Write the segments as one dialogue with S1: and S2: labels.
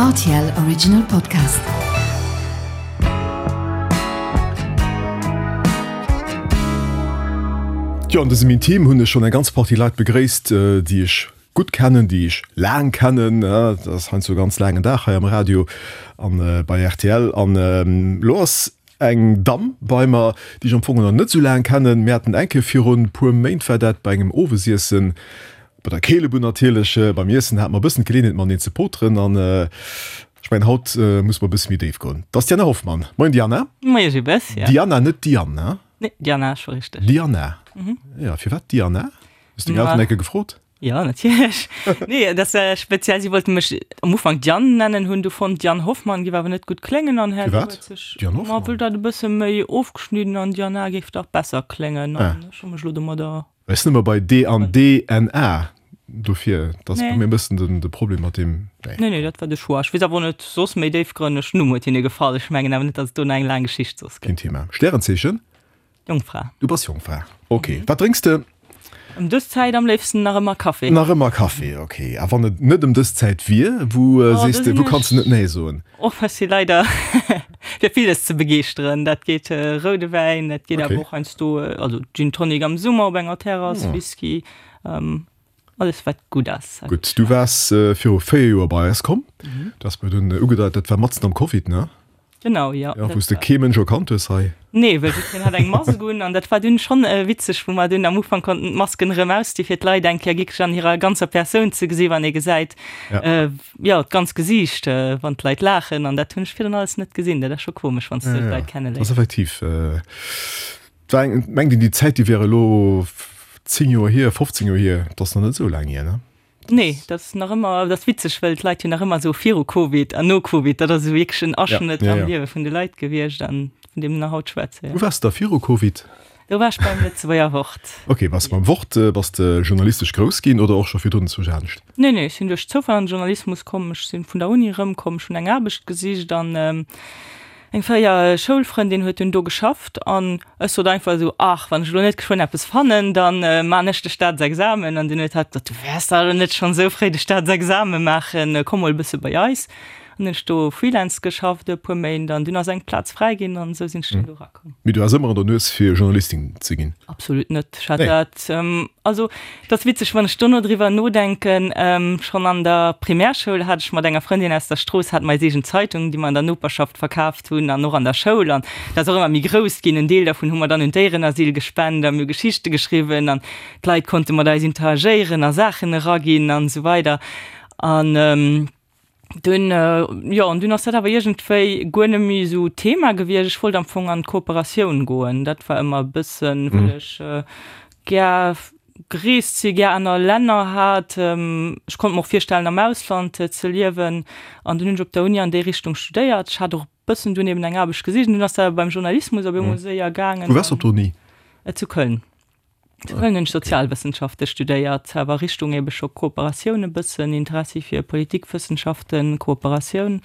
S1: Rtl Original Podcast.
S2: Jo, an dësem Intim hunn ech schonn eng ganz Partie Leit begréisst, déi ech gutt kennen, déi ech laang kennen. Dat ass heiansdo e ganz laangen Dag hei am Radio an bei rtl. An elo ass eng Damm bei mer, déi ech am Fong nach net esou laang kennen. Mir haten eng Kéier virun e puer Méint war dat bei engem Owesiessen, Bei der Keelebunn natierlech, beim Iessen hate mer e bëssen d'Geleeënheet mateneen ze poteren an ech mengen haut musse mer e bësse méi déif goen. Dat ass d'Diana Hoffmann. Moien Diana.
S3: Moie Gilles,
S2: jo. Diana, net Diane, ne?
S3: Nee, Diana ass scho richteg.
S2: Diana, jo. Firwat Diana? Hues deng Elteren eng Kéier gefrot?
S3: Jo, natierlech. Nee, dat ass speziell, si wollte mech am Ufank Diane nennen, hunn du fonnt Diane Hoffmann géif awer net gutt kléngen an herno
S2: Firwat
S3: huet sech,
S2: Diane
S3: ma
S2: Hoffmann?
S3: wëll dat e bësse méi ofgeschnidden an Diana géif dach besser kléngen an ech hu mech elo domadder
S2: Ech sinn ëmmer bei D an DNA, dofir, dat ass bei mir e bëssen den de Problem mat deem.
S3: Nee. Nee, nee, dat war de Choix. Ech weess awer och net soss méi déifgrënneg. Den Numm huet hinne gefall. Ech mengen awer net, datt et do nach eng laang Geschicht soss
S2: gëtt. Keen Thema. Stärenzeechen?
S3: Jongfra.
S2: Du bass Jongfra, ok. Wat drénks de?
S3: Ëm dës Zäit am léifsten nach ëmmer Café.
S2: Nach ëmmer Café, ok. A wann et net ëm dës Zäit wier, wou sees de, wou kanns de net nee soen?
S3: Och ech si leider fir villes ze begeeschteren. Dat geet roude Wäin, dat geet awer och heiansdo, also Gin Tonic am Summer op enger Terrass, Whisky, alles wat gutt ass.
S2: Gutt, du waars viru 4 Joer bei eis komm. Du has mir dunn ugedeit, dat war matzen am Covid, ne?
S3: Genau, jo.
S2: Ja, wou s de kee Mënsch erkannt hues hei.
S3: Nee, well jiddwereen hat eng Mask un an dat war dunn schonn witzeg, wou mer dunn am Ufank konnten d'Masken erëm ausdi fir d'Leit eng Kéier wierklech an hirer ganzer Persoun ze gesi wann ee gesäit, jo, d'ganz Gesiicht, wann d'Leit laachen an dat hunn ech virdrun alles net gesinn. Dat ass scho komesch, wann s de d'Leit
S2: kenneléiers. Dat ass effektiv, et war eng, mengt een déi Zäit, déi wär elo 10 Joer hier, 15 Joer hier, dat ass nach net esou laang hier, ne?
S3: Nee, dat ass nach ëmmer, dat ass witzeg, well d'Leit jo nach ëmmer esou viru Covid an no Covid, dat ass esou wierklech en Aschnëtt am Liewe vun de Leit gewiescht an vun deem nach haut schwätze.
S2: Wou waars de da viru Covid?
S3: Do war ech beim Lëtzebuerger Wort.
S2: Ok, bass beim Wort, bass de journalistesch grouss ginn oder och scho virdrun zu Jaanscht?
S3: Nee, nee, ech sinn duerch Zoufall an den Journalismus komm. Ech sinn vun der Uni erëmkomm, ech hunn eng Aarbecht gesicht an Eng fréier Schoulfrëndin huet dunn do geschafft an ech sot einfach esou, Ach, wann ech elo net geschwënn eppes fannen, da man ech de Staatsexamen. An dunn huet hatt gesot, Du wäers dach elo net schonn esou fréi de Staatsexame maachen, komm mol e bësse bei eis. An hunn ech do Freelance geschafft e puer Méint an dunn ass eng Plaz fräi ginn an esou sinn ech dann do erakomm.
S2: Mee du haas ëmmer an der Nues fir Journalistin ze ginn?
S3: Absolut net. Ech hat dat, also Et ass witzeg, wann ech dono driwwer nodenken, schonn an der Primärschoul hat ech mat enger Frëndin aus der Strooss, hate mer eis eegen Zeitung, déi mer an der Noperschaft verkaaft hunn an och an der Schoul. An dat ass och ëmmer méi grouss ginn. En Deel dervun hu mer dann un d'Déierenasyl gespent a mir hu Geschichte geschriwwen an d'Leit konnte mat eis interagéieren a Saachen eraginn an esou weider. An Dunn, jo, an dunn ass dat awer iergendwéi guer net méi esou Thema gewiescht. Ech wollt am Fong an d'Kooperatioun goen. Dat war ëmmer e bëssen, well ech gär gereest sinn, gär aner Länner hat. Ech konnt mer och virstellen, am Ausland ze liewen. An dunn hunn ech op der Uni an déi Richtung studéiert. Ech hat och e bëssen dunn eben eng Aarbecht gesicht an dunn ass dat awer beim Journalismus op eemol séier gaangen.
S2: Wou waars du op der Uni?
S3: Zu Köln. Zu Köln hunn ech Sozialwëssenschafte studéiert, awer Richtung ebe scho Kooperatioun e bëssen, Interessi fir Politikwëssenschaften, Kooperatioun.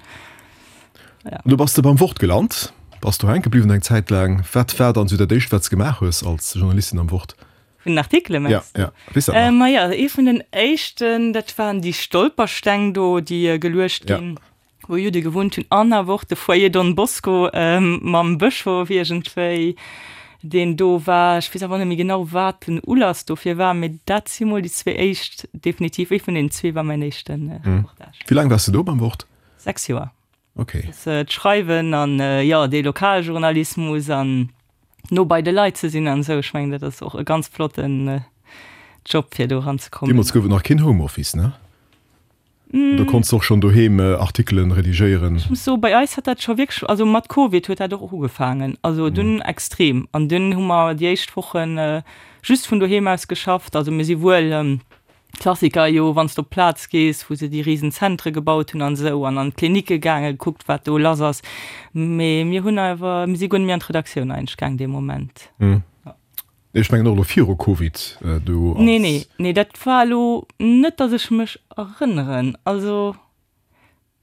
S2: Ja. An du bass de beim Wort gelant, bass do hänke bliwwen eng Zäit laang. Wat war dann esou dat éischt, wat s de gemaach hues als Journalistin am Wort?
S3: Vun den Artikele
S2: mengs du? Ja, ja. Weess dat nach?
S3: Maja, ee vun den éischten, dat waren déi Stolpersteng do, déi geluecht ginn. Wou Judde gewunnt hunn an awer och de Foyer Don Bosco mam Bëschof iergendwéi, deen do war. Ech weess awer net méi genau, wat den Ulass dofir war, mee dat si mol déi zwee éischt definitiv. Ee vun deenen zwee war mäin éischte
S2: Reportage. Wéi laang waars de do beim Wort?
S3: 6 Joer.
S2: Ok.
S3: D'Schreiwen an, jo, dee Lokaljournalismus an no bei de Leit ze sinn an esou. Ech mengen, dat ass och e ganz flotten Job, fir do eranzekommen.
S2: Deemools gouf et nach keen Homeoffice, ne? Oder konns de och schonn doheem Artikelen redigéieren?
S3: Ech muss soen, bei eis hat dat scho wierklech, also mat Covid huet dat och ugefaangen, also dunn extrem. An dunn hu mer déi éischt Wochen just vun doheem aus geschafft. Also mir si wuel, Klassiker jo, wann s de op d'Plaz gees, wou se déi risen Zentre gebaut hunn an esou, an an d'Klinicke gaangen, gekuckt wat do lass ass. Mee mir hunn awer, mir si guer net méi an d'Redaktioun eigentlech gaang dee Moment.
S2: Ech mengen och elo viru Covid do
S3: als. Nee, nee, nee, dat war elo net, datt ech mech erënneren. Also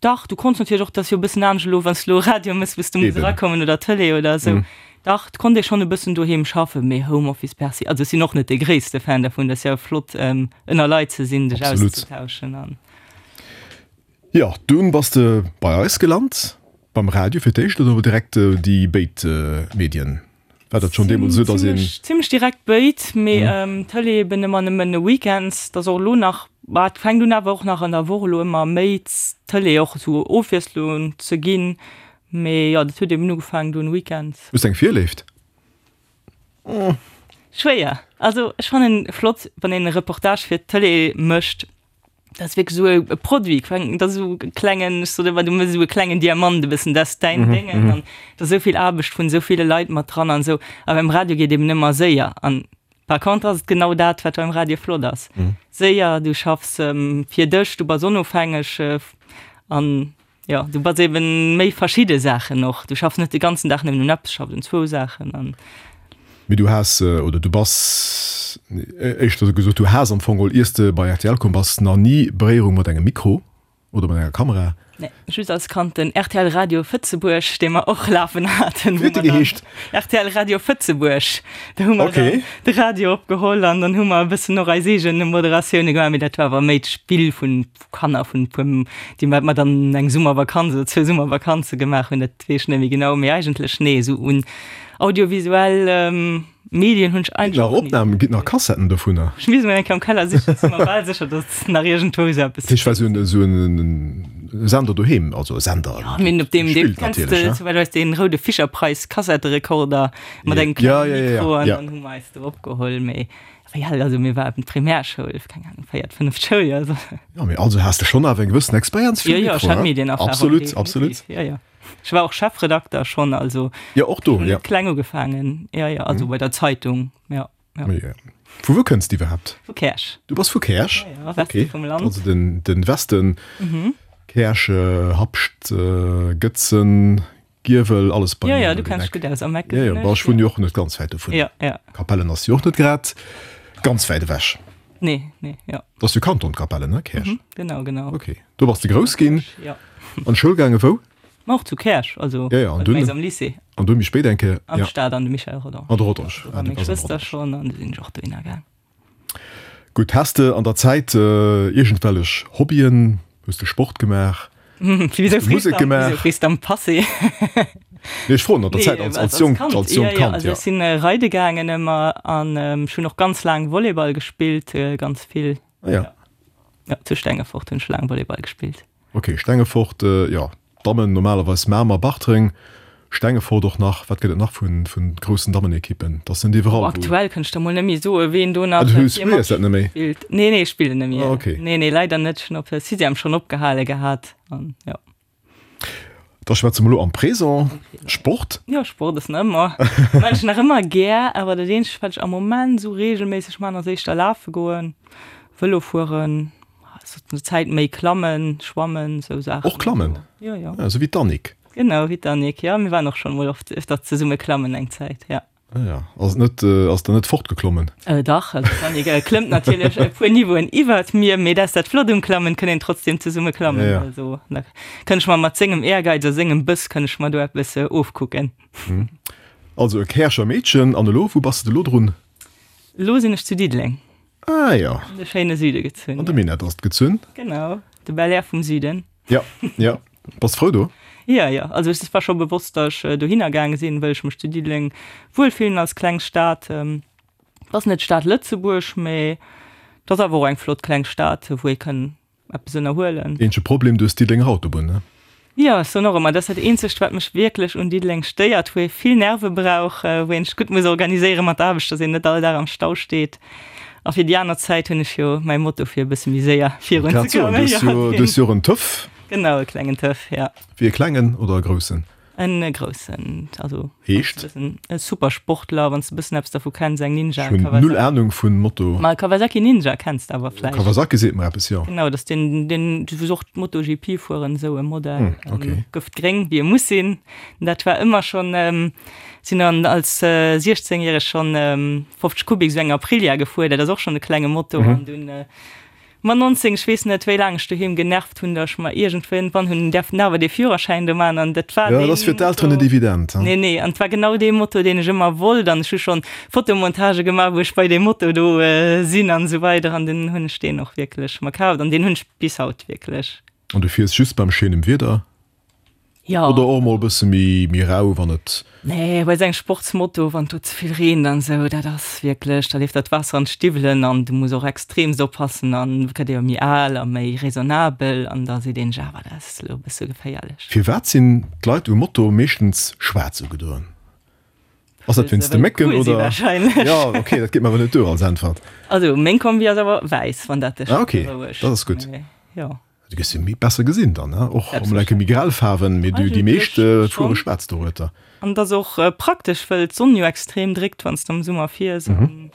S3: dach, du konns natierlech och, dat ass jo e bëssen anescht elo, wann s de elo Radio méchs, wou s de muss erakommen oder Tëlee oder esou. Dach, et konnt ee schonn e bëssen doheem schaffen, mee Homeoffice per se, also ech sinn och net dee gréisste Fan dervun. Dat ass jo flott, ënner Leit ze sinn, sech auszetauschen an.
S2: Jo, dunn bass de bei eis gelant, beim Radio fir d'éischt oder direkt déi béid Medien? War dat schonn deemools esou, dass een.
S3: Zimlech direkt béid, mee Tëlee eben ëmmer nëmmen weekends. Dat ass och elo nach, bah, et fänkt un awer och nach an der Woch elo ëmmer méi d'Tëlee och esou Ofwiesslung ze ginn. Mee jo, dat huet eben ugefaangen dunn weekends.
S2: Hues de eng Virléift?
S3: Schwéier. Also ech fannen flott, wann een e Reportage fir d'Tëlee mécht. Dat ass wierklech esou e Produit, dat ass esou e klengen, ech soen ëmmer, du méchs esou e klengen Diamant e bëssen, dat ass däin Déngen an do ass esou vill Aarbecht vun esou ville Leit mat dran an esou. A beim Radio geet eben ëmmer séier an par contre ass et genau dat, wat beim Radio flott ass, séier, du schaffs fir dech, du bass onofhängeg an Jo, du bass eben méi verschidde Saachen och. Du schaffs net de ganzen Dag nëmmen un eppes, du schaffs un zwou Saachen an.
S2: Mee du has, oder du bass, éischter esou gesot, du has am Fong geholl, iers de bei rtl komm bass, nach ni Beréierung mat engem Mikro oder mat enger Kamera.
S3: Nee, just als Kand den rtl Radio Fëtzebuerg, dee mer och lafen haten.
S2: Wéi huet dee geheescht?
S3: Rtl Radio Fëtzebuerg. Do hu mer dann de Radio opgeholl an dann hu mer e bëssen och eis eegen Moderatioune gemaach, mee dat war awer méi d'Spill vun Kanner vun puer, déi mat mer dann eng Summervakanz oder zwou Summervakanze gemaach hunn, dat weess ech net méi genau, mee eigentlech nee, esou un audiovisuell Medien hunn ech
S2: eigentlech och ni. Ginn nach Opnamen, ginn nach Kassetten dovunner?
S3: Ech misst mol eng Kéier am Keller sichen, ech si mer bal sécher, datt nach iergendwou esou eppes.
S2: Ech war esou en, esou en Sender doheem, also e Sender.
S3: Jo, mee op deem, deem kenns de, souwäit ech weess, dee roude Fischer-Price Kassetterekorder mat engem klenge Mikro an dann hu mer eis do opgeholl, mee Wéi al, also mir waren Primärschoul, keng Ahnung, véiert, fënneft Schouljoer,
S2: also. Jo, mee also has de schonn awer eng gewëssen Experienz
S3: virum Mikro, Jo, jo, ech hat
S2: Medienerfahrung,
S3: Absolut, definitiv,
S2: absolut.
S3: Jo, jo. Ech war och Chefredakter schonn, also.
S2: Jo, och do, jo.
S3: Kleng ugefaangen, jo, jo, also bei der Zeitung, jo, jo.
S2: Mee vu wou kënns de iwwerhaapt?
S3: Vu Käerch.
S2: Du bass vu Käerch?
S3: Jo, jo, Weste vum Land.
S2: Also den, den Westen, Käerch, Habscht, Gëtzen, Giewel, alles
S3: bei mir. Jo, jo, du kenns dech gutt aus am
S2: Eck. Jo, jo, ech wunnen jo och net ganz wäit dovun.
S3: Jo, jo.
S2: Capellen ass jo och net grad ganz wäit ewech.
S3: Nee, nee, jo.
S2: Dat ass jo Kanton Capellen, ne, Käerch?
S3: Mhm, genau, genau.
S2: Okay. Do bass de grouss ginn?
S3: Jo.
S2: An d'Schoul gaange wou?
S3: Ma och zu Käerch, also
S2: jo, jo, an dunn
S3: am Lycée.
S2: An dunn méi spéit eng Kéier?
S3: An d'Stad, an de Michel Rodange.
S2: An de Rodange.
S3: Do war meng Schwëster schonn an du sinn ech och dohinner gaang.
S2: Gutt, has de an der Zäit iergendwellech Hobbyen? Hues de Sport gemaach?
S3: Hues de Musek gemaach? Wéisou frees de am Passé?
S2: Nee, ech froen an der Zäit als, als jonkt, als jonkt Kand,
S3: jo. Also ech sinn reide gaangen ëmmer an ech hunn och ganz laang Volleyball gespillt, ganz vill.
S2: Ah ja.
S3: Jo, zu Stengefort hunn ech laang Volleyball gespillt.
S2: Ok, Stengefort, jo, Dammen normalerweis Mamer, Bartreng, Stengefort och nach. Wat gëtt et nach vu groussen Dammenekippen? Dat ass net iwwerall
S3: wou. Aktuell kënnt ech der mol net méi soen, ween do nach
S2: Ah, du spills dat net méi?
S3: spillt. Nee, nee, ech spillen net méi.
S2: Ah, ok.
S3: Nee, nee, leider net. Ech hunn op der Sixième schonn opgehale gehat an jo.
S2: Da schwätze mer elo am Présent. Sport?
S3: Jo, Sport ass nach ëmmer, maachen ech nach ëmmer gär, awer dat eenzegt, wat ech am Moment esou reegelméisseg maachen, ass éischter lafe goen, Vëlo fueren. Zur Zäit méi klammen, schwammen, sou Saachen.
S2: Och klammen?
S3: Jo, jo.
S2: Ah, sou wéi d'Annick.
S3: Genau, wéi d'Annick, jo. Mir waren och schonn emol oft öfter zesumme klammen eng Zäit, ja.
S2: Ah ja. Ass et net, ass der net fortgeklommen?
S3: Dach, also d'Annick klëmmt natierlech e puer Niveauen iwwert mir, mee dat ass dat Flott um Klammen, kënn een trotzdem zesumme klammen.
S2: Ja, ja.
S3: Also da kënn ech mer mat sengem Ehrgeiz a sengem Bëss kënn ech mer do eppes ofkucken.
S2: Also e Käercher Meedchen. An elo, wou bass de elo drun?
S3: Elo sinn ech zu Diddeleng.
S2: Ah jo.
S3: An de schéine Süde gezunn.
S2: An de Minett ass et gezunn.
S3: Genau, de Bel-Air vum Süden.
S2: Jo, jo. Bass frou do?
S3: Jo, jo. Also et war scho bewosst, datt ech dohinner gaange sinn, wëll ech mech zu Diddeleng wuel fillen als kleng Stad. Et ass net d'Stad Lëtzebuerg, mee et ass awer och eng flott kleng Stad, wou ee kënn eppes ënnerhuelen.
S2: Eenzege Problem, du hues Diddelenger Autobunn, ne?
S3: Jo, ech soen och ëmmer, dat ass dat eenzegt, wat mech wierklech un Diddeleng stéiert, wou ee vill Nerve brauch, wou een sech gutt muss organiséiere mat der Aarbecht, dass een net all Dag am Stau steet. A fir déi aner Zäit hunn ech jo mäi Moto, fir e bësse méi séier virun ze
S2: kommen. Du hues jo och en Töff.
S3: Genau, e klengen Töff, ja.
S2: Wéi e klengen oder e groussen?
S3: En groussen, also
S2: Heescht?
S3: E super Sportler, wann s de bëssen eppes dervu kenns, eng Ninja.
S2: Ech hunn null Ahnung vun Moto.
S3: Ma Kawasaki Ninja kenns de awer vläicht.
S2: Kawasaki seet mer eppes, jo.
S3: Genau, dat ass deen, deen, wou se och d'MotoGP fueren, esou e Modell.
S2: Hm, okay.
S3: Gëftgréng, wéi e muss sinn. Dat war ëmmer schonn, sinn dann als 16 järeg schonn 50 Kubik esou eng Aprilia gefuer, dat ass och schonn e klenge Moto an dunn Ma 19, ech weess net wéi laang ech doheem genervt hunn, datt ech mer iergendwann hunn däerfen awer dee Führerschäin do maachen an dat war
S2: Ja, dat ass fir d'Elteren net evident,
S3: he? Nee, nee, an et war genau dee Moto, deen ech ëmmer wollt an ech hu schonn Fotomontagë gemaach, wou ech bei deem Moto do sinn an esou weider an dunn hunn ech deen och wierklech mer kaaft an deen hunn ech bis haut wierklech.
S2: An du fiers just beim schéinem Wieder?
S3: Jo.
S2: Oder och mol e bësse méi méi rau, wann et.
S3: Nee, bei sou engem Sportsmoto, wann do ze vill reent an esou, dat ass wierklech, da leeft der d'Waasser an d'Stiwwelen an du muss och extremst oppassen an gëtt ee jo méi al a méi raisonnabel an da seet een sech awer, dat ass elo e bësse geféierlech.
S2: Firwat sinn d'Leit um Moto meeschtens schwaarz ugedoen? Ass dat wéinst de Mécken oder? Jo, ok, dat geet mer awer net duer als Äntwert.
S3: Also meng Kombi ass awer wäiss, wann dat dech
S2: berouegt. Ah ok, dat ass gutt.
S3: Jo.
S2: Du gëss jo méi besser gesinn dann, ne? Och emol enke méi grell Faarwen, mee du, déi meescht fuere schwaarz dorueter.
S3: An et ass och praktesch, wëll d'Sonn jo extrem dréckt, wann s de am Summer fiers.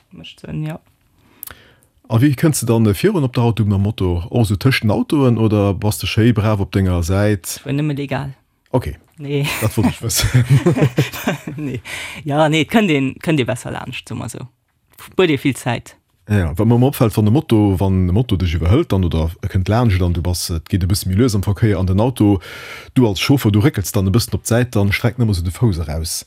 S3: Mécht Sënn, jo.
S2: A wéi kënns de dann virun op der Autobunn mam Moto? Och esou tëscht den Autoen oder bass de schéi brav op denger Säit?
S3: Ech fuer nëmme legal.
S2: Ok,
S3: Nee.
S2: dat wollt ech wëssen.
S3: Nee. Ja, nee, et kënnt een, kënnt ee besser laanscht, soe mer esou. Spuert ee vill Zäit.
S2: Ja, wat mer ëmmer opfält, wann e Moto, wann e Moto dech iwwerhëlt dann oder e kënnt laanscht an du bass, et geet e bësse méi lues am Verkéier an den Auto, du als Chauffer, du réckels dann e bëssen op d'Säit, dann streckt en ëmmer esou de Fouss eraus.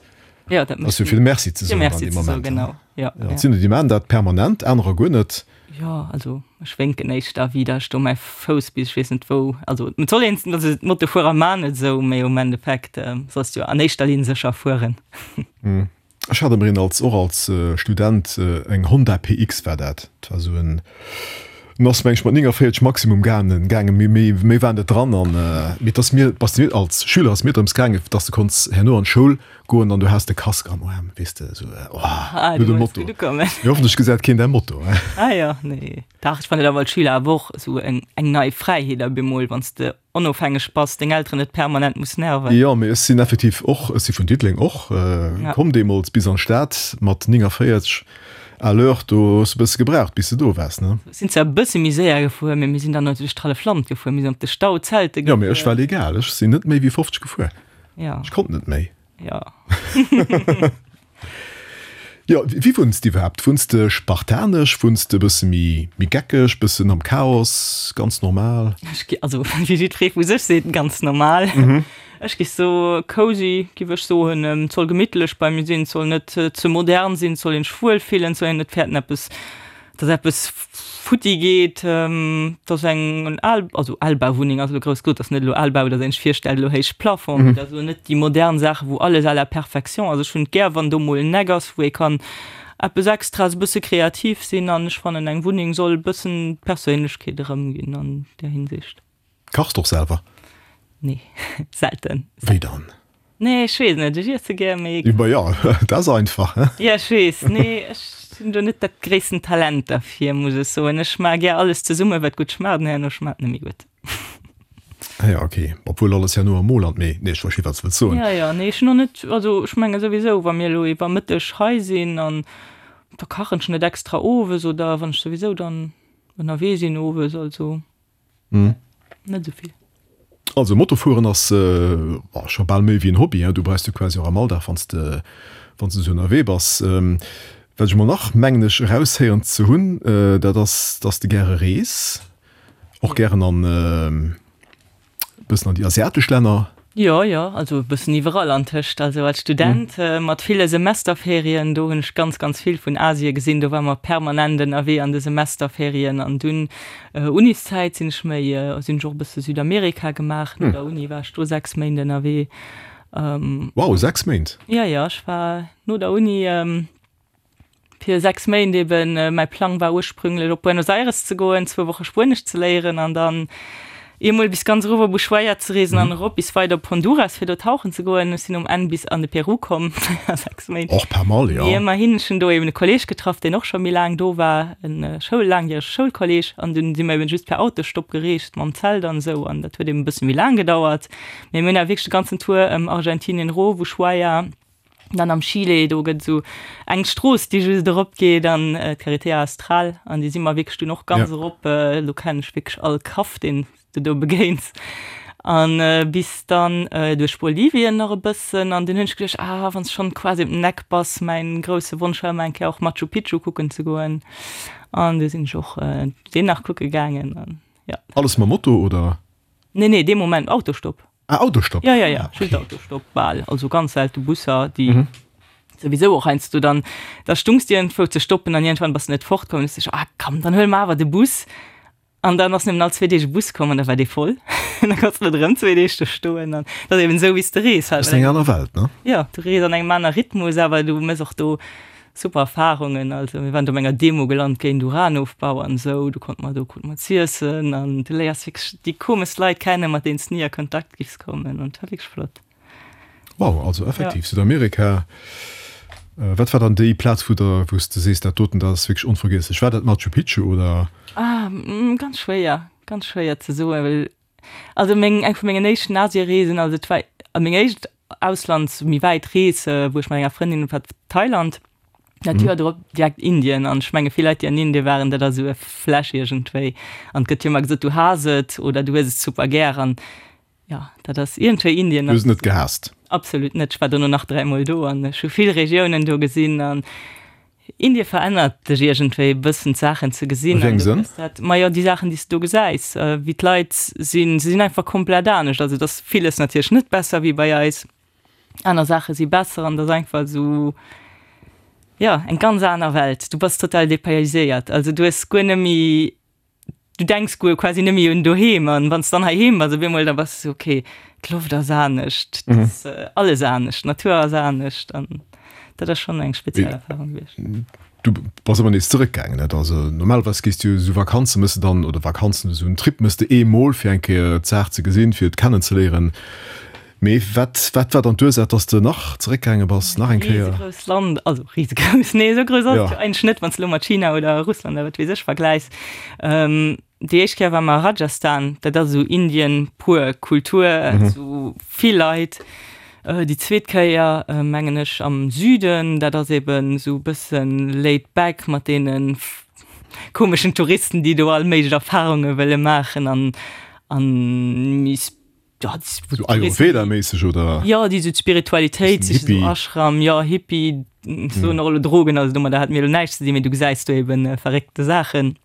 S3: Ja, dat
S2: Ass
S3: mécht
S2: jo fir Merci ze
S3: fir
S2: soen dann
S3: Merci
S2: dee
S3: ze soen,
S2: Moment.
S3: genau. Ja,
S2: Ja,
S3: ja.
S2: et sinn der, déi maachen dat permanent, anerer guer net.
S3: Jo, also ech wénken éischter wéi datt ech do mäi Fouss bis ech weess net wou, also et soll een, also d'Motofuerer maan et esou, mee um Endeffekt solls du jo an éischter Linn sécher fueren.
S2: Ech hat ëmmer een als, och als Student, eng Honda PX war dat, dat war esou en, en ass meng ech mat 49 Maximum gaangen, gaangen, mee méi, méi war net dran an, mee et ass mir, bass mir als Schüler ass mir drëms gaangen, datt s de konns herno an d'Schoul Goen an du has de Casque am Aarm, weess de, esou, oh,
S3: ah,
S2: no dem Motto.
S3: Mee
S2: hoffentlech gesäit keen däi Motto, he?
S3: Ah jo, nee. Dach, ech fannen et awer als Schüler awer och esou eng, eng nei Fräiheet op eemol, wann s de onofhängeg bass, deng Elteren net permanent muss nerven.
S2: Jo, mee ech sinn effektiv och, ech si vun Diddeleng och komm deemools bis an d'Stad mat 49 à l'heure, do hues de e bësse gebraucht, bis de do waars, ne?
S3: Sinn zwar e bësse méi séier gefuer, mee mir sinn dann natierlech d'hallef Land gefuer, mir sinn op de Stau zelte
S2: gefuer. Jo, mee ech war legal, ech sinn net méi wéi 50 gefuer.
S3: Ja.
S2: Ech konnt net méi.
S3: Ja.
S2: Jo, wéi wunns de iwwerhaapt? Wunns de spartanesch, wunns de e bësse méi, méi geckeg, bëssen am Chaos, ganz normal?
S3: Ech gi, also wéi jiddweree vu sech seet, ganz normal. Ech gi so cozy, giff ech soen. Et soll gemittlech bei mir sinn, et soll net ze modern sinn, et soll een sech wuel fillen, et soll een net fäerten eppes dass eppes futti geet, dass eng al, also Albauwunneng ass elo grouss gesot, dass net elo Albau, dass een sech virstellt elo héich Plafond, mee dass elo net déi modern Saachen, wou alles à la perfection ass. Ech hunn et gär, wann do mol en Eck ass, wou ee kann eppes Extraes, e bësse kreativ sinn an ech fannen, eng Wunneng soll e bëssen d'Perséinlechkeet erëmginn an där Hinsicht.
S2: Kachs de och selwer?
S3: Nee, selten.
S2: Wéi dann?
S3: Nee, ech weess net, ech iesse gär, mee.
S2: Ma jo, dat ass einfach, he?
S3: Jo, ech weess. Nee, ech hunn do net dat gréissten Talent derfir, muss ech soen. Ech maache gär alles zesumme wat gutt schmaacht an herno schmaacht net méi gutt.
S2: Ah jo, ok. Obwuel alles herno am Mo lant, mee nee, ech versti wat s de wëlls soen.
S3: Jo, jo, nee, ech hunn och net, also ech menge souwisou, wa mir elo iwwer Mëtteg hei sinn an da kachen ech net extra owes oder wann ech souwisou dann ënnerwee sinn owes, also. Net esou vill.
S2: Also Motofueren ass scho bal méi wéi en Hobby, du brauchs du quasi och am Alldag wann s de wann s de esou ënnerwee bass. Wat ech emol nach mengen ech eraushéieren ze hunn, dat ass dass de gäre rees, och gären an Bëssen an déi asiatesch Länner?
S3: Jo, jo, also e bëssen iwwerall antëscht. Also als Student mat ville Semesterferien, do hunn ech ganz, ganz vill vun Asie gesinn. Do ware mer permanent ënnerwee an de Semesterferien. An dunn Uniszäit sinn ech méi, sinn ech och e bësse Südamerika gemaach. No der Uni war ech do 6 Méint ënnerwee.
S2: Wow, 6 Méint?
S3: Jo, jo, ech war no der Uni. Fir 6 Méint eben. Mäi Plang war ursprünglech op Buenos Aires ze goen, zwou Woche Spuenesch ze léieren an dann eemol bis ganz erof op Ushuaia ze reesen an erop bis weider op Honduras fir do tauchen ze goen. Ech sinn um Enn bis an de Peru komm a 6 Méint.
S2: Och pas mal, jo.
S3: Mee ëmmerhin, ech hunn do eben e Kolleeg getraff, deen och scho méi laang do war, en Schoul, laangjärege Schoulkolleeg an dunn si mer eben just per Autostopp gereest mam Zelt an esou an dat huet eben e bësse méi laang gedauert. Mee mir hunn awer wierklech de ganzen Tour ëm Argentinien erof, Ushuaia, Dann am Chile, do gëtt esou eng Strooss, déi just erop geet an d'Carretera Austral an déi si mer wierklech dunn och ganz erop. Do kennen ech wierklech all Kaff, deen s de do begéins. An bis dann duerch Bolivien nach e bëssen an dunn hunn ech geduecht, ah wann s schonn quasi op den Eck bass, mäin grousse Wonsch war ëmmer eng Kéier och Machu Picchu kucken ze goen an du sinn ech och deen nach kucke gaangen an jo.
S2: Alles mam Moto oder?
S3: Nee, nee, dee Moment Autostopp.
S2: Ah, Autostopp.
S3: Ja, ja, ja, just Autostopp bal. Also ganz selte Busser, déi mhm. sowieso och heiansdo dann, da stungs dir iergendwou ze stoppen an iergendwann bass du net fortkomm. Dann hues du ah komm, dann huele mer awer de Bus. An dann ass nëmmen all zwee Deeg e Bus komm an da war dee voll. An da konns de net erëm zwee Deeg do stoen. An dat ass eben esou, wéi s de rees
S2: halt. Ass eng aner Welt, ne?
S3: Jo, du rees an engem aner Rhythmus, awer du méchs och do super Erfarungen. Also mir waren do op enger Demo gelant géint Uranofbau an esou. Do konnte mer, do krute mer z'iessen an du léiers wierklech déi komeschst Leit kennen, mat deenen s de ni a Kontakt giffs kommen. An et war wierklech flott.
S2: Wow, also effektiv Südamerika. Wat war dann déi Plaz, wou der, wou s de sees, dat doten, dat ass wierklech onvergiesslech? War dat Machu Picchu oder?
S3: Ah, ganz schwéier, ganz schwéier ze soen, well also meng, eng vu mengen éischten Asiereesen, also et war meng éischt Auslands, méi wäit Rees, wou ech mat enger Frëndin war Thailand. Dat Joer drop direkt Indien an ech menge vill Leit, déi an Indien waren, dat ass esou e Flash iergendwéi an et gëtt jo ëmmer gesot, du haass et oder du hues et super gär an Jo, dat ass iergendwéi Indien.
S2: Du hues et net gehaasst?
S3: Absolut net. Ech war dono nach dräimol do an ech hu vill Regiounen do gesinn an Indie verännert dech iergendwéi e bëssen d'Saachen ze gesinn.
S2: A wéi engem Sënn?
S3: Majo, déi Saachen, déi s de do gesäis, wéi d'Leit sinn, se sinn einfach komplett anescht. Also et ass villes natierlech net besser wéi bei eis, aner Saache si besser an et ass einfach esou, jo, eng ganz aner Welt. Du bass total dépayséiert, also du hues guer net méi du denks guer quasi net méi un doheem an wann s dann heiheem bass op eemol, da bass du esou, okay, d'Loft ass anescht, et ass alles anescht, d'Natur ass anescht an dat ass schonn eng speziell Erfarung gewiescht.
S2: Du bass awer nees zeréckgaangen, net? Also normalerweis gees du jo esou Vakanze mëss de dann, oder Vakanzen, esou en Trip mëss de eemol fir eng Kéier d'Saach ze gesinn, fir et kennenzeléieren. Mee wat, wat war dann d'Ursaach, dass de nach zeréckgaange bass, nach eng Kéier?
S3: Risegrouss Land, also risegrouss, nee esou grouss ass et jo eigentlech net, wann s de elo mat China oder Russland oder wat weess ech vergläichs. Déi éischt Kéier war mer a Rajasthan, dat ass esou Indien pur, Kultur, esou vill Leit. Déi zweet Kéier mengen ech am Süden, dat ass eben esou e bëssen laid back mat deene komeschen Touristen, déi do all méiglech Erfarunge wëlle maachen an an méi
S2: Ja, so Ayurveda-méisseg oder?
S3: Ja, déi sou d'Spiritualitéit, sich so Ashram, ja, Hippie, so nach elo Drogen, also domadder hat mir elo näischt ze dinn, mee du gesäis do eben äh, verréckte Saachen.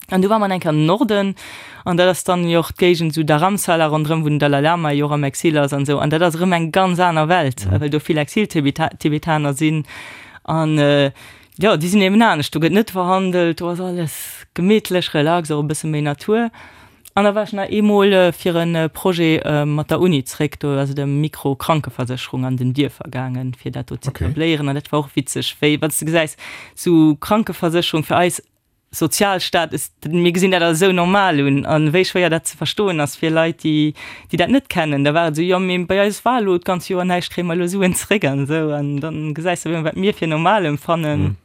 S3: An du war man enker am Norden an dat ass dann jo och d'Géigend sou Dharamsala ronderëm, wou den Dalai Lama jo och am Exil ass an sou. An dat ass erëm eng ganz aner Welt, mhm. well do vill Exil-Tibetaner sinn. An äh, ja, déi sinn eben anescht, do gëtt net verhandelt, do ass alles gemittlech, relax, och e bësse méi Natur. An da war ech nach eemol fir e Projet mat der Uni zréck, do ass et ëm Mikro-Krankeversécherung an den Dierfer gaangen, fir dat do ze etabléieren. An dat war och witzeg, wéi wann s de gesäis, sou Krankeversécherung fir eis Sozialstaat ass, mir gesinn dat als esou normal un, a wéi schwéier dat ze verstoen ass fir Leit, déi déi dat net kennen. Da war et esou, jo mee bei eis war elo d'ganz Joer näischt, kréie mer elo Suen zréck an esou. An dann gesäis de, wat mir fir normal emfannen,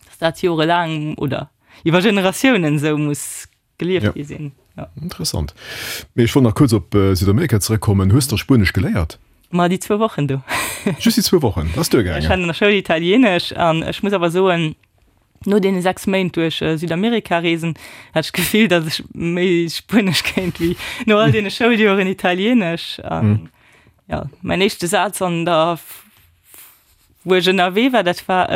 S3: dass dat jorelaang oder iwwer Generatiounen esou muss gelieft gi sinn.
S2: Ja. Interessant. Mee ech wollt nach kuerz op Südamerika zeréckkommen. Hues de Spuenesch geléiert?
S3: Ma déi zwou Wochen do.
S2: Just déi zwou Wochen, dat ass duergaangen?
S3: Ech hat an der Schoul Italienesch an ech muss awer soen, no deene 6 Méint duerch Südamerika reesen, hat ech d'Gefill, datt ech méi Spuenesch kéint wéi no all deene Schouljoren Italienesch. An ja, mäin éischte Saz an der Wou ech ënnerwee war, dat war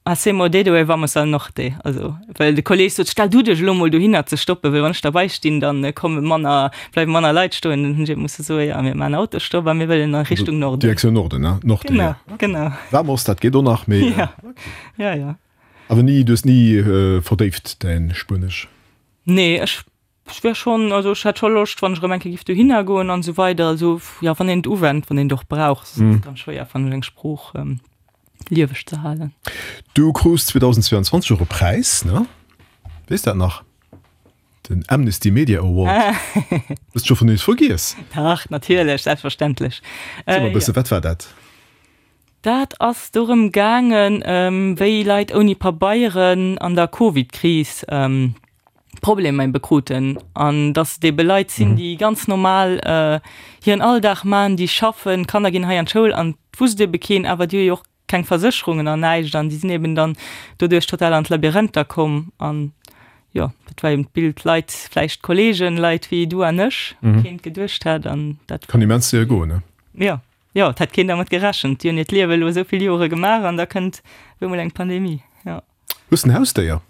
S3: Hacemos dedo e vamos al norte. Also, well de Kolleeg sot, stell du dech elo mol dohinner ze stoppen, well wann ech derbei stinn, dann komme manner, bleiwe manner Leit stoen. Dann hunn ech eben musse soen, jo, mir maachen Autostopp a mir wëllen a Richtung Norden.
S2: Direktioun Norden, ne? Norte,
S3: Genau, ja. genau.
S2: Vamos, dat geet och nach, mee.
S3: Ja, ja, ja.
S2: Awer ni, du hues ni verdéift däin Spuenesch?
S3: Nee, ech Ech wär schonn, also ech hätt scho Loscht, wann ech erëm eng Kéier giff dohinner goen an esou weider. Also jo, wann een et uwennt, wann een et och brauch, ass et ganz schwéier fannen ech eng Sprooch lieweg ze halen.
S2: Du krus 2022 och e Präis, ne? Weess dat nach? Den Amnesty Media Award. Hues de scho vun nees vergiess?
S3: Dach, natierlech, selbstverständlech.
S2: Erziel mer e bësse, wat war dat?
S3: Dat ass dorëm gaangen, wéi Leit ouni Pabeieren an der Covid-Kris Problemer ebe kruten an dass et ebe Leit sinn, déi ganz normal hiren Alldag man, déi schaffen, d'Kanner ginn hei an d'Schoul an et wusst ebe keen, awer déi hu jo och keng Versécherungen an näischt an déi sinn eben dann doduerch total an d'Labyrinther komm an jo, dat war eben d'Bild, Leit, vläicht Kollegen, Leit wéi du an ech, wou keen geduecht hätt an
S2: dat. Kann immens séier goen, ne?
S3: Jo, jo, et hätt keen dermat gerechent. Déi hunn hiert Liewe elo esou vill Jore gemaach an da kënnt op eemol eng Pandemie, jo.
S2: Hues de en Hausdéier?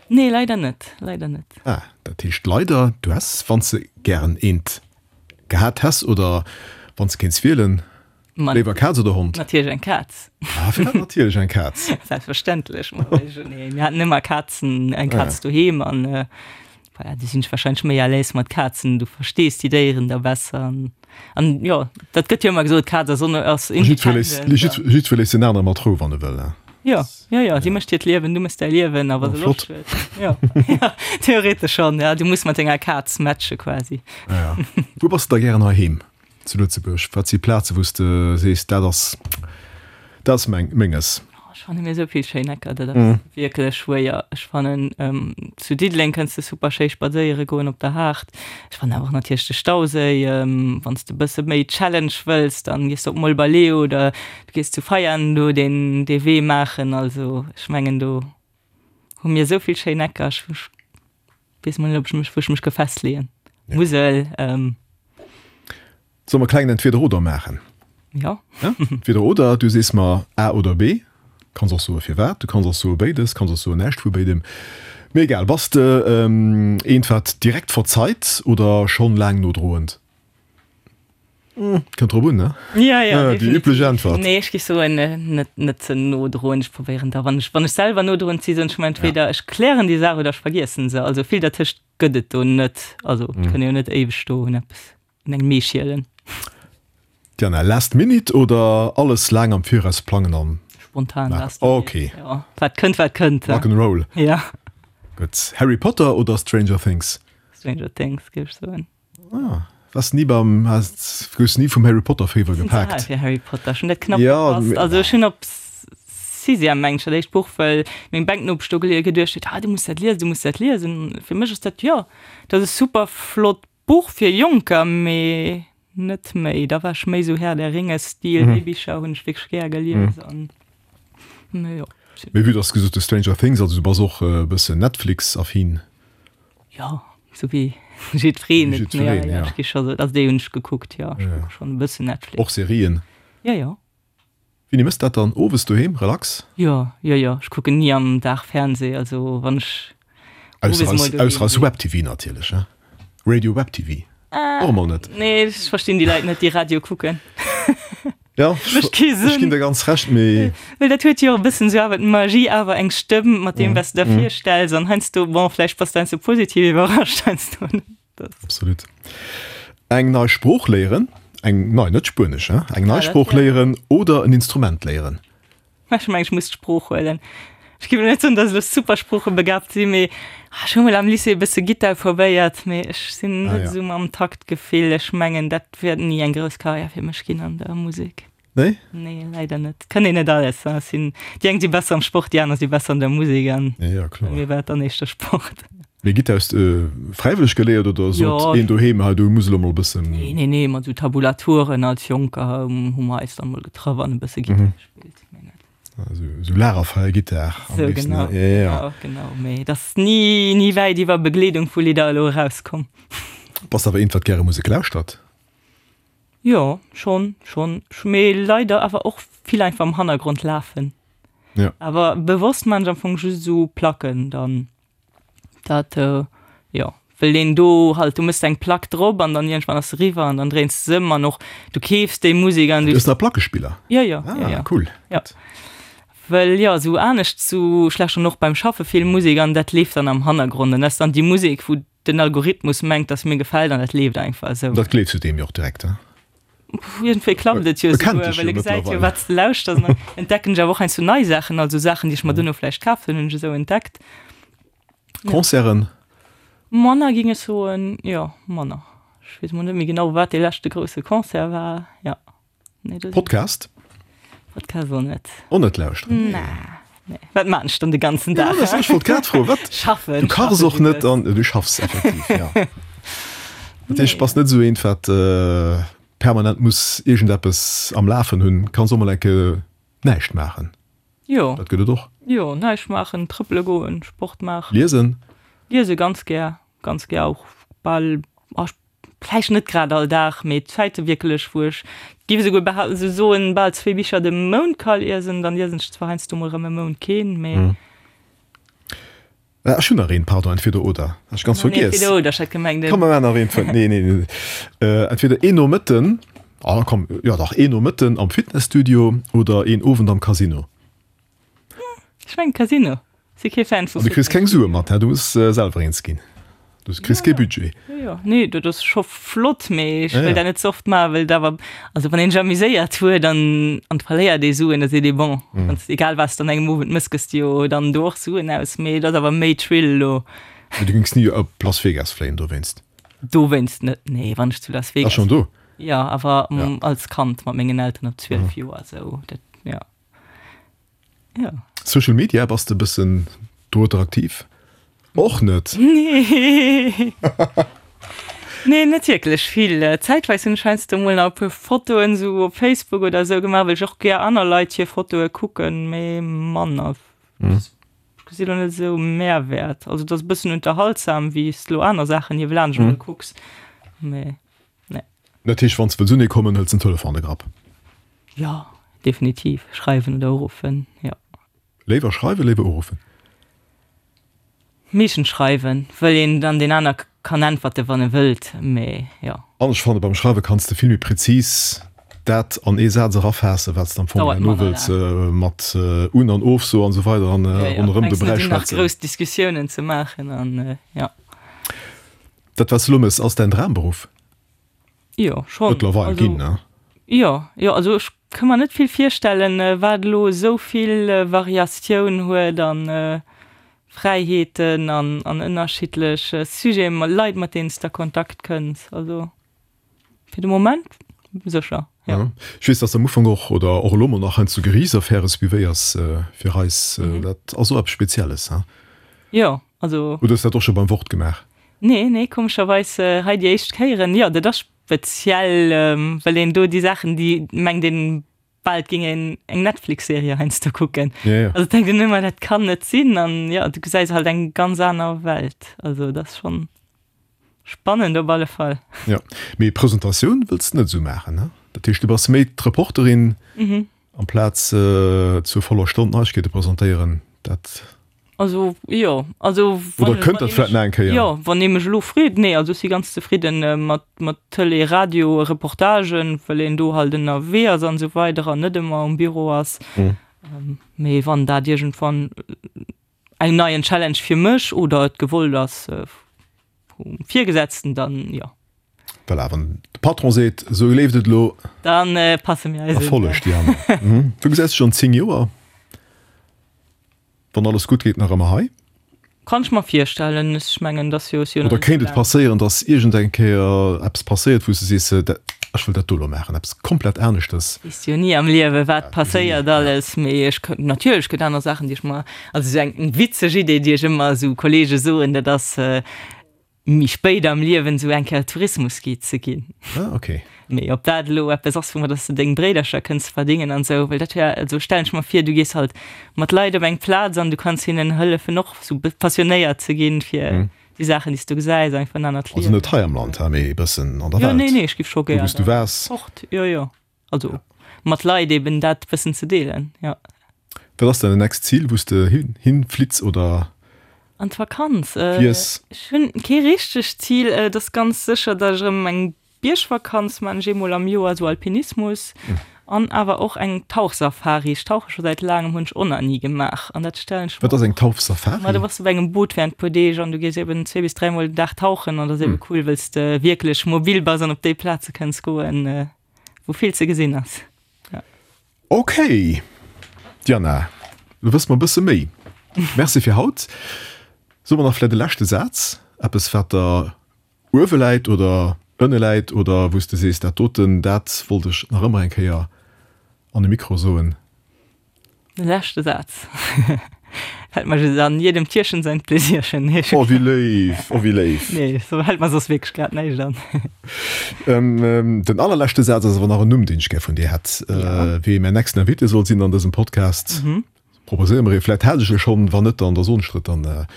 S3: Nee, leider net, leider net.
S2: Ah, dat heescht leider, du häss, wann s de gären eent gehat häss oder wann s de kéints wielen, léiwer Kaz oder Hond?
S3: Natierlech eng Kaz.
S2: Ah, firwat natierlech eng Kaz?
S3: Selbstverständlech. Nee, mir haten ëmmer Kazen, eng Kaz doheem an. Voilà, du sinn ech wahrscheinlech méi à l'aise mat Kazen, du verstees déi Déieren da besser an, an jo, dat gëtt jo ëmmer gesot, d'Kaz ass on, ass
S2: independent. Jiddweree léisst den anere mat Rou, wann e wëll.
S3: Jo, jo, jo, si mécht hiert Liewen, du méchs däi Liewen, a wa se Loscht huet, jo, jo, theoretesch schonn, ja, du muss mat denger Kaz matche quasi.
S2: Ja. Wou bass de da gären heiheem zu Lëtzebuerg? Wat si Plaze wou s de sees, dat ass, dat ass meng, menges?
S3: Ech fanne mir esou vill schéin Ecker, dat ass wierklech schwéier. Ech fannen zu Diddeleng kënns de super schéi spadséiere goen op der Haard. Ech fannen awer och natierlech de Stauséi. Wann s de e bësse méi Challenge wëlls, dann gees de op Molberleo oder du gees zu Veianen do deen dee Wee maachen. Also ech mengen do hu mir esou vill schéin Ecker. Ech weess mol net ob ech mech wou ech mech ka festleeën. Musel.
S2: Solle mer e klengen Entweder-oder maachen?
S3: Jo.
S2: Entweder oder, du sees mer A oder B. Kanns och soe firwat, du kanns och soe béides, kanns och soen näischt vu béidem. Mee egal. Bass de eent wat direkt verzeit oder schonn laang nodroend? Kënnt drop un, ne?
S3: Ja, ja,
S2: Déi
S3: definitiv.
S2: üblech Äntwert.
S3: Nee, ech géif soen, net, net ze nodroend. Ech probéieren da, wann ech, wann ech selwer nodroend si, soen ech mer entweder ech klären déi Saach oder ech vergiessen se. Also vill dertëscht gëtt et do net. Also et kënn ee jo net éiweg do un eppes Un engem Mee schielen.
S2: Diana, Last minute oder alles laang am Viraus plangen an
S3: Spontan last minute.
S2: Ok.
S3: Jo, wat kënnt, wat kënnt.
S2: Rock and roll.
S3: Ja.
S2: Gutt. Harry Potter oder Stranger Things?
S3: Stranger Things, géif ech soen.
S2: Ah, waars ni beim, has, goufs ni vum Harry Potter Féiwer
S3: Sinn ze al
S2: gepaakt?
S3: fir Harry Potter, ech hunn dat knapp verpasst. Also ech hunn op Sixième, mengen ech, dat éischt Buch, well meng Bänknopesch do geduecht huet, ah du muss dat liesen, du muss dat liesen. Fir mech ass dat, jo, dat ass e super flott Buch fir Jonker, mee net méi. Da war ech méi sou Herr der Ringe Stil, déi Bicher hunn ech wierklech gär gelies an
S2: mee jo. Mee vue dass gesot hues Stranger Things, also du bass och e bëssen Netflix-affin?
S3: Jo, sou wéi jiddwereen. Wéi jiddwereen, jo. Ech gi scho sou, also déi hunn ech gekuckt, jo. Ech kucke schonn e bëssen Netflix.
S2: Och Serien?
S3: Jo, jo.
S2: Wéini mëss dat dann? Owes doheem, relax?
S3: Jo, jo, jo, ech kucken ni am Dag Fernseh, also wann ech
S2: owes mol doheem Ausser eis Web TV natierlech, he? Radio Web TV och emol net?
S3: Nee, ech verstinn déi Leit net, déi Radio kucken.
S2: Jo,
S3: Mécht kee
S2: ech
S3: Sënn.
S2: ginn der ganz Recht, mee.
S3: Well dat huet jo e bëssen esou awer d'Magie, awer eng Stëmm mat deem, wat s de der virstells an heiansdo, bon, vläicht bass de heiansdo positiv iwwerrascht, heiansdo net.
S2: Absolut. Eng nei Sprooch léieren, eng nei, net Spuenesch, hein, eng nei Sprooch léieren oder en Instrument léieren?
S3: Ech mengen, ech muss d'Sprooch huelen. Ech géif elo net soen, datt ech elo super sproochebegabt sinn, mee ech hu mol am Lycée e bësse Gittar probéiert, mee ech sinn net esou mam Taktgefill. Ech mengen, dat wäert ni eng grouss Karriär fir mech ginn an der Musek.
S2: Nee?
S3: Nee, leider net. Kënn een net alles. Hein. Sinn, déi eng si besser am Sport, déi aner si besser an der Musek an
S2: Ja, ja, kloer.
S3: bei mir war et dann éischter Sport.
S2: Mee Gittar hues de fräiwëlleg geléiert oder sot
S3: Jo.
S2: een doheem, hei du muss elo mol e bëssen.
S3: Nee, nee, nee, mat esou Tabulaturen als Jonker hu mer eis dann mol getraff an e bësse Gittar gespillt, mee net.
S2: Esou, esou Lagerfeuer-Gittar am
S3: Sou,
S2: léifsten,
S3: genau,
S2: ne? Ja, ja, ja.
S3: genau, genau. Mee et ass ni, ni wäit iwwer Begleedung vu Lidder elo erauskomm.
S2: Bass awer eent, wat gäre Musek lauschtert?
S3: Jo, schon, schon. Mee leider awer och vill einfach am Hannergrond lafen.
S2: Ja.
S3: Awer bewosst man ech am Fong just esou Placken dann. Dat, jo, well een do halt, du mëss eng Plack drop an dann iergendwann ass se eriwwer an dann dréins de se ëm an och du keefs déi Musek an
S2: Du hues nach Plackespiller?
S3: Jo, jo, jo,
S2: Ah,
S3: jo.
S2: cool.
S3: Jo. Well jo, esou anescht, esou ech lauschteren och beim Schaffe vill Musek an dat leeft dann am Hannergrond an dat ass dann déi Musek, wou Den Algorithmus mengt, dass mir gefält an dat leeft einfach esou.
S2: Dat gleefs du deem jo och direkt, he?
S3: Iergendwéi klappt et jo esouguer, well e gesäit jo, wat s de lauschters. An dann entdecken ech awer och heiansdo nei Saachen, also Saachen, déi ech mer duerno vläicht kaf hunn, hunn ech esou entdeckt.
S2: Concerten?
S3: Manner, géing ech soen, jo, manner. Ech weess mol net méi genau, wat dee leschte grousse Concert war, jo.
S2: Nee, das Podcast?
S3: Podcast och net.
S2: Och net lauschteren?
S3: Nee. Nee. Wat maan ech dann de ganzen Dag?
S2: Ja, das, ech wollt grad froen, wat?
S3: Schaffen.
S2: Du kachs och net an du schaffs effektiv, ja. Dat heescht, bass net esou eent, wat äh, permanent muss iergendeppes am Lafen hunn, kanns och mol eng Kéier näischt maachen.
S3: Jo.
S2: Dat gëtt et och.
S3: Jo, näischt maachen, trëppele goen, Sport maachen.
S2: Liesen?
S3: Liese ganz gär, ganz gär och bal, ah, vläicht net grad all Dag, mee Zäite wierklech, wou ech, géif esouguer behaapten, esou soen, bal zwee Bicher de Mount ka liesen. Dann liesen ech zwar heiansdo mol erëm e Mount keen, mee.
S2: Ah, ech hunn nach een, pardon, entweder oder, hat ech ganz vergiess.
S3: Entweder oder, ech hat gemengt.
S2: Komm, mer maachen nach een vun, nee, nee, nee, entweder een Nomëtten, ah komm, jo dach, een Nomëtten am Fitnesstudio oder een Owend am Casino.
S3: Ech mengen Casino. Si kee Fan vu
S2: An du kriss keng Sue mat, du muss selwer eens ginn. Du kriss kee Budget.
S3: Jo, jo, nee, dat ass scho flott, mee ech wëll dat net ze oft maachen, well et awer, also wann een sech amuséiert huet an an et verléiert ee Suen, da seet ee bon, wann s egal wat s de an engem Owend mëss, gëss de jo dann do och Suen aus, mee et ass awer méi Thrill elo.
S2: Mee du géings ni op Las Vegas fléien dowéinst?
S3: Dowéinst net, nee, wann ech zu Las Vegas.
S2: Ah, schonn do?
S3: Jo, awer als Kand mat mengen Elteren op 12 Joer esou, dat, jo.
S2: Jo. Social Media, bass de e bëssen dorueter aktiv? Och net?
S3: Nee. Nee, net wierklech vill. Zäitweis hunn ech heiansdo mol nach e puer Fotoen esou op Facebook oder esou gemaach, well ech och gär aner Leit hir Fotoe kucken, mee manner. Ech gesi lo net esou Mehrwäert. Also et ass e bëssen unterhaltsam, wéi s de lo aner Saachen niewelaanscht emol kucks, mee.
S2: Nee. Dat heescht, wann s de wëlls unee kommen, hëls den Telefon an de Grapp?
S3: Jo, definitiv. Schreiwen oder uruffen, jo.
S2: Léiwer schreiwen, léiwer uruffen?
S3: Meeschtens schreiwen, wëll een dann deen aner kann äntwerten, wann e wëllt, mee jo.
S2: An ech fanne beim Schreiwe kanns de vill méi präzis dat an ee Saz erafaassen, wat s de am Fong herno wëlls mat un an ofso an esou weider an ronderëm de Bräi
S3: schwätzen. Nach grouss Diskussiounen ze maachen an jo.
S2: Dat wat s de elo méchs, ass däin Dramberuff?
S3: Jo, schonn.
S2: Mëttlerweil ginn, ne?
S3: Jo, jo, also ech ka mer net vill virstellen, wat elo esou vill Variatioun huet an Fräiheeten an an ënnerschiddlech Sujeten, Leit mat deenen s de a Kontakt kënns. Also fir de Moment sécher, jo.
S2: Ech weess, dass de am Ufank och, oder och elo mol nach heiansdo Geriichtsaffäre suivéiers fir eis. Dat ass och eppes Spezielles, he?
S3: Jo, also.
S2: Oder hues de dat och scho beim Wort gemaach?
S3: Nee, nee, komescherweis hei déi éischt Kéieren. Jo, dat ass speziell, well een do déi Saachen, déi mengt een bal et géing een eng Netflix-Serie heiansdo kucken.
S2: Ja, ja.
S3: Also denkt een ëmmer, dat kann net sinn. An jo, du gesäis halt eng ganz aner Welt. Also dat ass schonn spannend op alle Fall.
S2: Jo, mee Presentatioun wëlls de net esou maachen, ne? Dat heescht, du bass méi d'Reporterin amplaz zur voller Stonn d'Neiegkeete presentéieren, dat.
S3: Also jo, also
S2: wann Oder kënnt dat vläit nach eng Kéier?
S3: Jo, wann ee mech elo freet, nee, also ech si ganz zefridden mat mat Tëlee, Radio, Reportagen, well een do halt ënnerwee ass an esou weider an net ëmmer um Büro ass. Mee wann dat iergendwann eng neien Challenge fir mech oder et gewollt ass vum Virgesetzten, dann jo.
S2: Voilà, wann de Patron seet, esou leeft et elo,
S3: Dann passe mir eis
S2: un. Erfolleg, Diana. Du gesäis dech an 10 Joer? Wann alles gutt geet, nach ëmmer hei?
S3: Kann ech mer virstellen. Ech mengen, dass jo,
S2: jo Oder kéint et passéieren, dass iergend eng Kéier eppes passéiert, wou s de sees, ech wëll dat do elo maachen, eppes komplett aneschtes?
S3: Weess jo ni am Liewe wat passéiert alles, mee ech kënnt natierlech gëtt aner Saachen, déi ech mer, also esou eng witzeg Idee, déi ech ëmmer esou Kollege soen, dat ass, méi spéit am Liewen esou eng Kéier Tourismusguide ze ginn.
S2: Ah, okay.
S3: Mee ob dat elo eppes ass, woumat dass de deng Bréidercher kënns verdéngen an esou, well dat wär, also stellen ech mer vir, du gees halt mat Leit op eng Plaz an du kanns hinnen hëllefen och esou passionéiert ze ginn fir déi Saachen, déi s du gesäis, einfach en anert
S2: Liewen. Also net hei am Land, mee e bëssen an der
S3: Welt. Jo, nee, nee, ech giff scho
S2: gär. Do wou s du waars.
S3: Fort, jo, jo. Also mat Leit eben dat bëssen ze deelen, jo.
S2: Wat ass däin nächst Zil, wou s de hin flitts oder
S3: An d'Vakanz?
S2: fiers?
S3: Ech hunn kee richtegt Zil. Et ass ganz sécher, datt ech erëm eng Biergvakanz man, ech eemol am Joer, esou Alpinismus an awer och eng Tauchsafari. Ech tauche scho säit laangem, hunn ech och nach ni gemaach an dat stellen ech
S2: mer. Wat ass eng Tauchsafari?
S3: Ma du bass op engem Boot während puer Deeg an du gees eben zwee bis dräimol den Dag tauchen an dat ass eben cool, wëll s de wierklech mobil bass an op déi Plaze kënns goen, wou vill ze gesinn ass.
S2: Ja. Ok, Diana, lo wësse mer e bësse méi. Merci fir haut. Soe mer nach vläicht e leschte Saz, eppes wat der uewe läit oder ënne läit oder wou s de sees, dat doten, dat wollt ech nach ëmmer eng Kéier an e Mikro soen.
S3: De leschte Saz fällt mer just an, Jedem Tierchen sein Pläsierchen.
S2: Nee, oh, wéi léif, oh, wéi léif.
S3: Nee, sou fällt mer soss wierklech grad näischt an.
S2: Den allerleschte Saz ass awer nach en Numm, deen ech gär vun dir hätt, ja. Wee mäin nächsten Invité soll sinn an dësem Podcast. Mhm. Proposéier mer ee, vläit hat ech e schonn, wann net, dann da soen ech der et dann.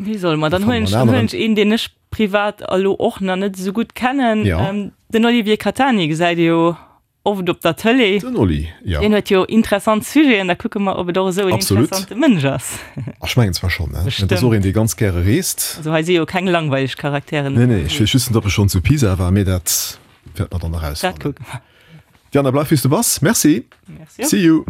S3: Wee soll mer? Dann huelen ech, dann huelen ech een, deen ech privat elo och nach net esou gutt kennen.
S2: Ja.
S3: Den Olivier Catani gesäit ee jo Oft op der Tëlee.
S2: Den Oli, jo.
S3: Deen huet jo interessant Sujeten, da kucke mer, ob et och esou en interessante Mënsch ass.
S2: Ech mengen zwar schonn, ne? Dat ass och een, dee ganz gäre reest.
S3: Also hei si jo keng langweileg Charakteren.
S2: Nee, nee, ech weess just net, ob e schonn zu Pisa war, mee dat wäerte mer dann erausfannen.
S3: Dat kucke mer.
S2: Diana, bleif wéi s du bass. Merci.
S3: Merci och.
S2: See you.